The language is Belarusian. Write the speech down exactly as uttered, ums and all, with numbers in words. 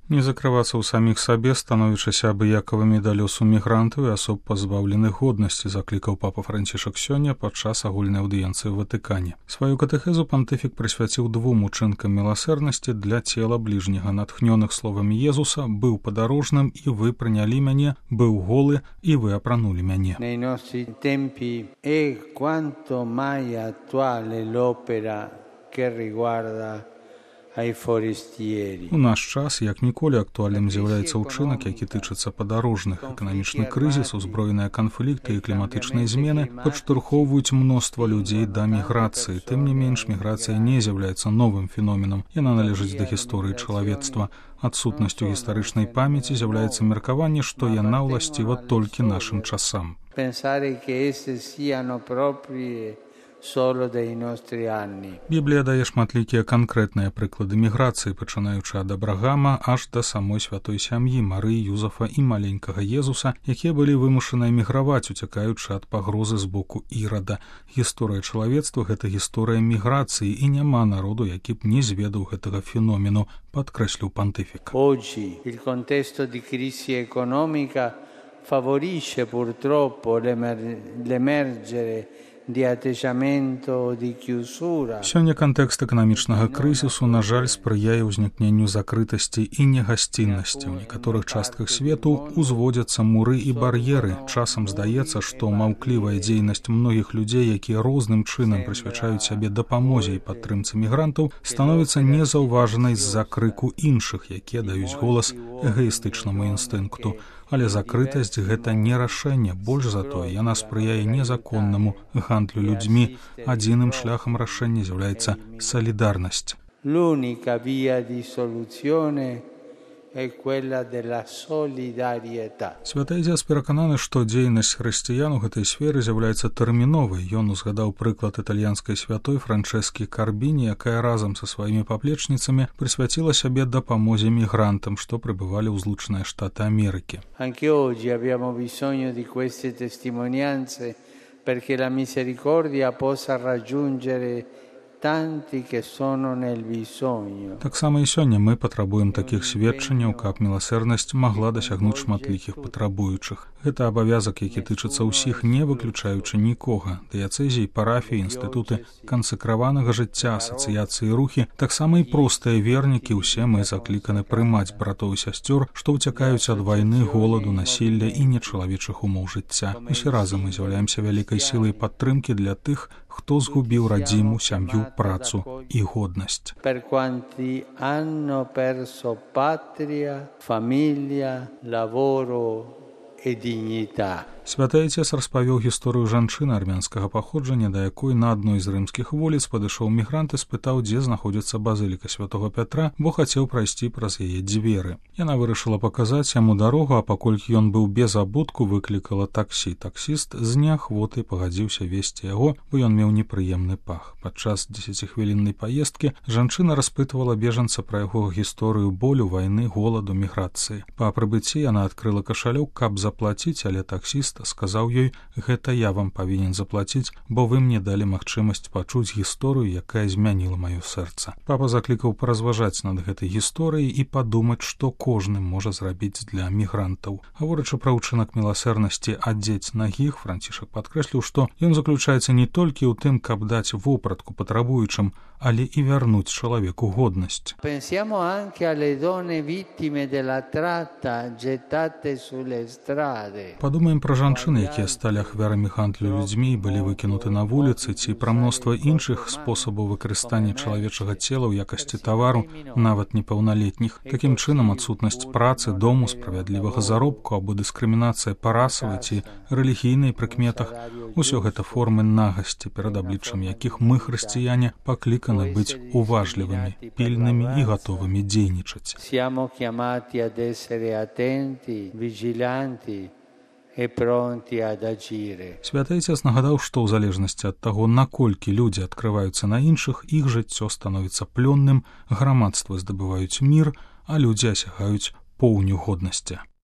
Не закрывацца ў саміх сабе, становячыся абыякавымі да лёсу мігрантаў і асоб пазбаўленых годнасці, заклікаў папа Францішак сёння падчас агульнай аўдыенцыі ў Ватыкане. Сваю катэхезу пантыфік прысвяціў двум учынкам міласэрнасці для цела бліжняга, натхнёных словамі Езуса: «Быў падарожным, і вы прынялі мяне, быў голы, і вы апранулі мяне». Nei nostri tempi è quanto mai attuale l'opera che riguarda У наш час, як ніколі, актуальным з'яўляецца ўчынак, які тычыцца падарожных. Эканамічны крызіс, узброеныя канфлікты і кліматычныя змены падштурхоўваюць мноства людзей да міграцыі. Тым не менш, міграцыя не з'яўляецца новым феноменам. Яна належыць да гісторыі чалавецтва. Адсутнасцю гістарычнай памяці з'яўляецца меркаванне, што яна ўласціва толькі нашым часам. Біблія дае шматлікія канкрэтныя прыклады міграцыі, пачынаючы ад Абрагама аж да самой святой сям'і Марыі, Юзафа і маленькага Езуса, якія былі вымушаны эміграваць, уцякаючы ад пагрозы з боку Ірада. Гісторыя чалавецтва — гэта гісторыя міграцыі, і няма народу, які б не зведаў гэтага феномену, падкрэсліў пантыфік. Oggi il contesto di crisi economica favorisce purtroppo l'emergere Сёння кантэкст эканамічнага крызісу, на жаль, спрыяе ўзнікненню закрытасці і негасціннасці. У некаторых частках свету узводзяцца муры і бар'еры. Часам здаецца, што маўклівая дзейнасць многіх людзей, якія розным чынам прысвячаюць сябе дапамозе і падтрымцы мігрантаў, становіцца незаўважанай з-за крыку іншых, якія даюць голас эгаістычнаму інстынкту. Але закрытасць — гэта не рашэнне, больш за тое, яна спрыяе незаконнаму гандлю людзьмі. Адзіным шляхам рашэння з'яўляецца салідарнасць. L'unica via di soluzione è quella della solidarietà. Святы Адзец перакананы, што дзейнасць хрысціян у гэтай сферы з'яўляецца тэрміновай. Ён узгадаў прыклад італьянскай святой Франчэскі Карбіні, якая разам са сваімі паплечніцамі прысвяціла сябе дапамозе мігрантам, што прыбывалі ў Злучаныя Штаты Амерыкі. Anche oggi abbiamo bisogno di queste testimonianze perché la misericordia possa raggiungere tanti che sono nel bisogno. Таксама і сёння мы патрабуем такіх сведчанняў, каб міласэрнасць магла дасягнуць шматлікіх патрабуючых. Гэта абавязак, які тычыцца ўсіх, не выключаючы нікога. Дыяцэзіі, парафіі, інстытуты кансакраванага жыцця, асацыяцыі, рухі, таксама і простыя вернікі, усе мы закліканы прымаць братоў і сясцёр, што ўцякаюць ад вайны, голаду, насілля і нечалавечых умоў жыцця. Усе разам мы з'яўляемся вялікай сілай падтрымкі для тых, хто згубіў радзіму, сям'ю, працу і годнасць. Per quanti hanno perso patria, famiglia, lavoro e dignità. Святы Адзец распавёў гісторыю жанчыны армянскага паходжання, да якой на адной з рымскіх вуліц падышоў мігрант і спытаў, дзе знаходзіцца базыліка святога Пятра, бо хацеў прайсці праз яе дзверы. Яна вырашыла паказаць яму дарогу, а паколькі ён быў без абутку, выклікала таксі. Таксіст з неахвотай пагадзіўся весці яго, бо ён меў непрыемны пах. Падчас дзесяцихвіліннай паездкі жанчына распытвала бежанца пра яго гісторыю болю, вайны, голаду, міграцыі. Па прыбыцці яна адкрыла кашалёк, каб заплаціць, але таксіст сказаў ёй: «Гэта я вам павінен заплаціць, бо вы мне далі магчымасць пачуць гісторыю, якая змяніла маё сэрца». Папа заклікаў паразважаць над гэтай гісторыяй і падумаць, што кожны можа зрабіць для мігрантаў. Гаворачы пра ўчынак міласэрнасці адзець нагіх, Францішак падкрэсліў, што ён заключаецца не толькі ў тым, каб даць вопратку патрабуючым, але і вярнуць чалавеку годнасць. Pensiamo anche alle donne vittime della tratta gettate sulle strade. Падумаем пра жанчыны, якія сталі ахвярамі гандлю людзьмі і былі выкінуты на вуліцы, ці пра мноства іншых спосабаў выкарыстання чалавечага цела ў якасці тавару, нават непаўналетніх. Такім чынам, адсутнасць працы, дому, справядлівага заробку або дыскрымінацыя па расавай ці рэлігійнай прыкметах — усё гэта формы нагасці, перад абліччам якіх мы, хрысціяне, пакліканы быць уважлівымі, пільнымі і гатовымі дзейнічаць. Siamo chiamati ad essere attenti, vigilanti e pronti ad agire. Святы Адзец нагадаў, што ў залежнасці ад таго, наколькі людзі адкрываюцца на іншых, іх жыццё становіцца плённым, грамадствы здабываюць мір, а людзі асягаюць поўню годнасці.